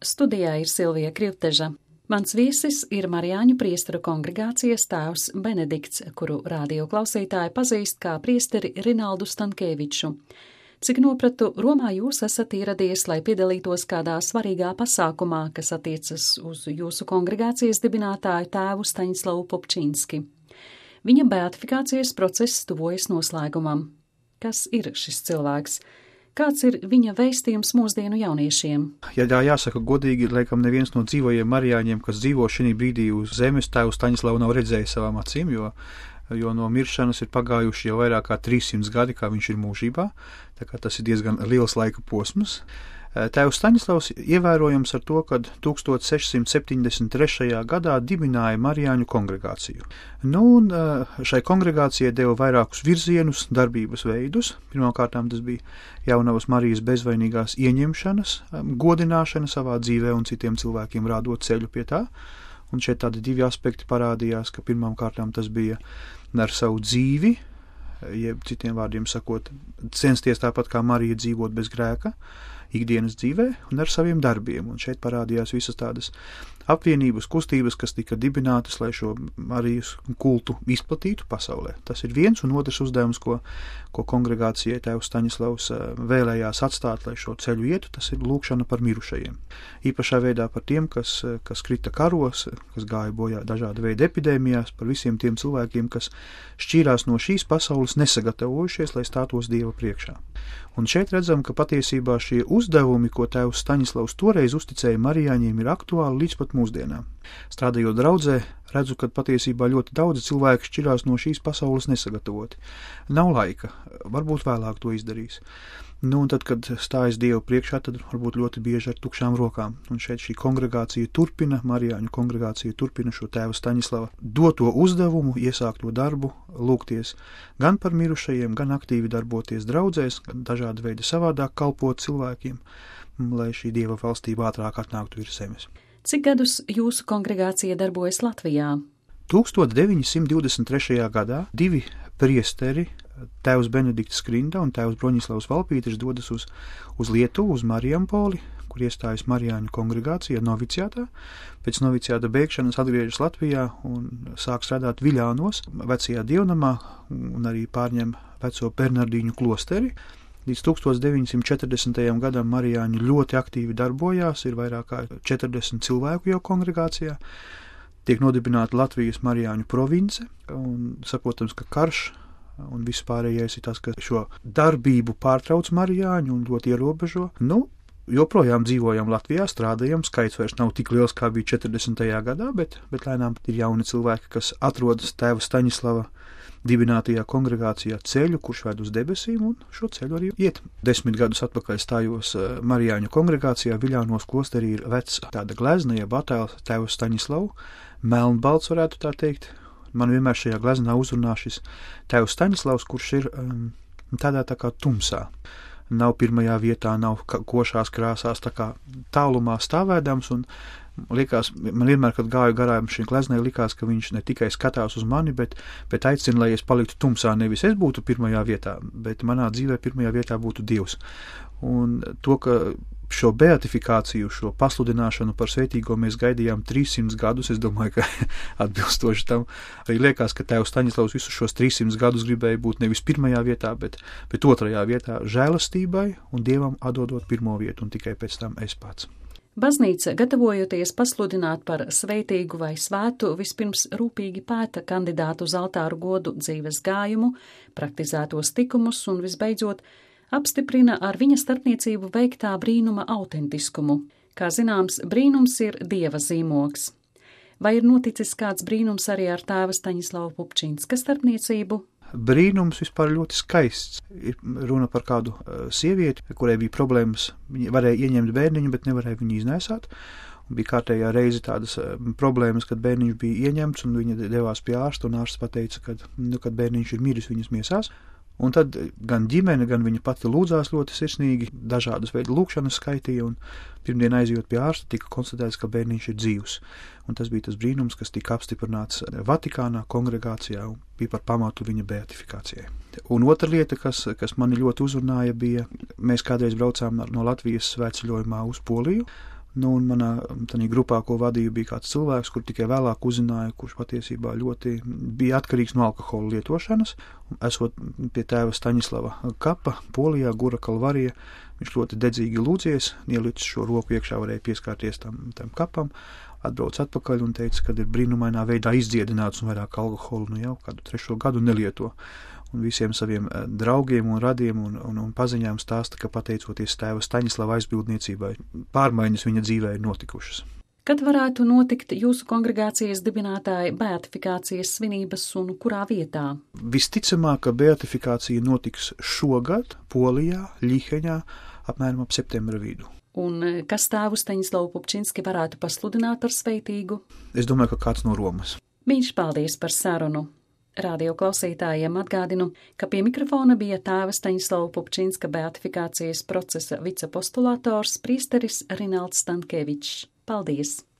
Studijā ir Silvija Krivteža. Mans viesis ir Marijāņu priesteru kongregācijas tēvs Benedikts, kuru rādio klausītāji pazīst kā priesteri Rinaldu Stankēviču. Cik nopratu, Romā jūs esat ieradies, lai piedalītos kādā svarīgā pasākumā, kas attiecas uz jūsu kongregācijas dibinātāju tēvu Staņislavu Popčinski. Viņa beatifikācijas process tuvojas noslēgumam. Kas ir šis cilvēks? Kāds ir viņa vēstījums mūsdienu jauniešiem? Ja tā jāsaka godīgi, laikam neviens no dzīvojiem marijāņiem, kas dzīvo šī brīdī uz zemes, tēvu Staņislavu nav redzējis savām acīm, jo no miršanas ir pagājuši jau vairāk kā 300 gadi, kā viņš ir mūžībā, tā kā tas ir diezgan liels laika posms. Tēvs Staņislavs ievērojams ar to, ka 1673. gadā dibināja Marijāņu kongregāciju. Un šai kongregācijai deva vairākus virzienus, darbības veidus. Pirmkārtām tas bija jaunavas Marijas bezvainīgās ieņemšanas, godināšana savā dzīvē un citiem cilvēkiem rādot ceļu pie tā. Un šeit tādi divi aspekti parādījās, ka pirmkārtām tas bija ar savu dzīvi, jeb citiem vārdiem sakot, censties tāpat kā Marija dzīvot bez grēka, ikdienas dzīvē un ar saviem darbiem. Un šeit parādījās visas tādas apvienības, kustības, kas tika dibinātas, lai šo Marijas kultu izplatītu pasaulē. Tas ir viens, un otrs uzdevums, ko kongregācijai tēvs Staņislavs vēlējās atstāt, lai šo ceļu ietu, tas ir lūkšana par mirušajiem. Īpašā veidā par tiem, kas krita karos, kas gāja bojā dažāda veida epidēmijās, par visiem tiem cilvēkiem, kas šķīrās no šīs pasaules nesagatavojušies, lai stātos Dieva priekšā. Un šeit redzam, ka patiesībā šie uzdevumi, ko tēvs Staņislavs toreiz uzticēja marijāņiem, ir aktuāli līdz pat mūsdienām. Strādājot draudzē, redzu, ka patiesībā ļoti daudzi cilvēki šķirās no šīs pasaules nesagatavoti. Nav laika, varbūt vēlāk to izdarīs. Un tad, kad stājas Dievu priekšā, tad varbūt ļoti bieži ar tukšām rokām. Un šeit šī kongregācija turpina, Marijāņu kongregācija turpina šo tēva Staņislava doto uzdevumu, iesākto darbu, lūgties gan par mirušajiem, gan aktīvi darboties draudzēs, gan dažādi veidi savādāk kalpot cilvēkiem, lai šī Dieva valstība ātrāk atnāktu virs zemes. Cik gadus jūsu kongregācija darbojas Latvijā? 1923. gadā divi priesteri, tēvs Benedikts Skrinda un tēvs Broņislavs Valpīters, dodas uz Lietuvu, uz Marijampoli, kur iestājas Marijāņu kongregācija noviciātā. Pēc noviciāta beigšanas atgriežas Latvijā un sāk strādāt Viļānos, vecajā dievnamā, un arī pārņem veco Bernardīņu klosteri. Līdz 1940. gadam marijāņi ļoti aktīvi darbojās, ir vairāk kā 40 cilvēku jau kongregācijā. Tiek nodibināta Latvijas marijāņu province, un saprotams, ka karš un viss pārējais ir tas, ka šo darbību pārtrauc marijāņu un ļoti ierobežo. Joprojām dzīvojam Latvijā, strādājam, skaits vairs nav tik liels, kā bija 40. gadā, bet lēnām ir jauni cilvēki, kas atrodas tēva Staņislava dibinātajā kongregācijā ceļu, kurš ved uz debesīm, un šo ceļu arī iet. 10 gadus atpakaļ stājos Marijāņu kongregācijā, Viļānos klosterī ir vecs tāda glezna, jeb attēls tēva Staņislavu, melnbalts varētu tā teikt. Man vienmēr šajā gleznā uzrunā šis tēvs Staņislavs, kurš ir tādā tā kā tumsā. Nav pirmajā vietā, nav košās krāsās, tā kā tālumā stāvēdams, un man vienmēr, kad gāju garām šī gleznai, likās, ka viņš ne tikai skatās uz mani, bet aicina, lai es paliktu tumsā, nevis es būtu pirmajā vietā, bet manā dzīvē pirmajā vietā būtu Dievs. Un to, ka šo beatifikāciju, šo pasludināšanu par svētīgo mēs gaidījām 300 gadus, es domāju, ka atbilstoši tam arī liekas, ka tēvs Staņislavs visus šos 300 gadus gribēja būt nevis pirmajā vietā, bet otrajā vietā žēlastībai un Dievam atdodot pirmo vietu, un tikai pēc tam es pats. Baznīca, gatavojoties pasludināt par svētīgu vai svētu, vispirms rūpīgi pēta kandidātu uz altāru godu dzīves gājumu, praktizētos tikumus un visbeidzot apstiprina ar viņa starpniecību veiktā brīnuma autentiskumu. Kā zināms, brīnums ir Dieva zīmogs. Vai ir noticis kāds brīnums arī ar tēva Staņislava Popčinska starpniecību? Brīnums vispār ļoti skaists. Ir runa par kādu sievieti, kurai bija problēmas. Viņa varēja ieņemt bērniņu, bet nevarēja viņu iznēsāt. Un bija kārtējā reize tādas problēmas, kad bērniņš bija ieņemts, un viņa devās pie ārsta, un ārsts pateica, kad bērniņš ir miris viņas miesās. Un tad gan ģimene, gan viņa pati lūdzās ļoti sirsnīgi, dažādas veidu lūkšanas skaitīja, un pirmdien aizjot pie ārsta tika konstatēts, ka bērniņš ir dzīvs. Un tas bija tas brīnums, kas tika apstiprināts Vatikānā, kongregācijā, un bija par pamatu viņa beatifikācijai. Un otra lieta, kas mani ļoti uzrunāja, bija, mēs kādreiz braucām no Latvijas svētceļojumā uz Poliju, Nu, un manā tādā grupā, ko vadīju, bija kāds cilvēks, kur tikai vēlāk uzzināja, kurš patiesībā ļoti bija atkarīgs no alkohola lietošanas. Esot pie tēva Staņislava kapa, Polijā, Gura Kalvarija, viņš ļoti dedzīgi lūdzies, ielicis šo roku iekšā, varēja pieskārties tam kapam, atbrauc atpakaļ un teica, ka ir brīnumainā veidā izdziedināts un vairāk alkoholu jau kādu 3. gadu nelieto. Un visiem saviem draugiem un radiem un paziņām stāsta, ka pateicoties tēva Staņislava aizbildniecībai, pārmaiņas viņa dzīvē ir notikušas. Kad varētu notikt jūsu kongregācijas dibinātāja beatifikācijas svinības un kurā vietā? Visticamāk, ka beatifikācija notiks šogad Polijā, Ļiheņā, apmēram ap septembra vidu. Un kas tēvu Staņislavu Pupčinski varētu pasludināt par sveitīgu? Es domāju, ka kāds no Romas. Mīļš paldies par sarunu! Radio klausītājiem atgādinu, ka pie mikrofona bija tēva Staņislava Pupčinska beatifikācijas procesa vicepostulators priesteris Rinalds Stankēvičs. Paldies!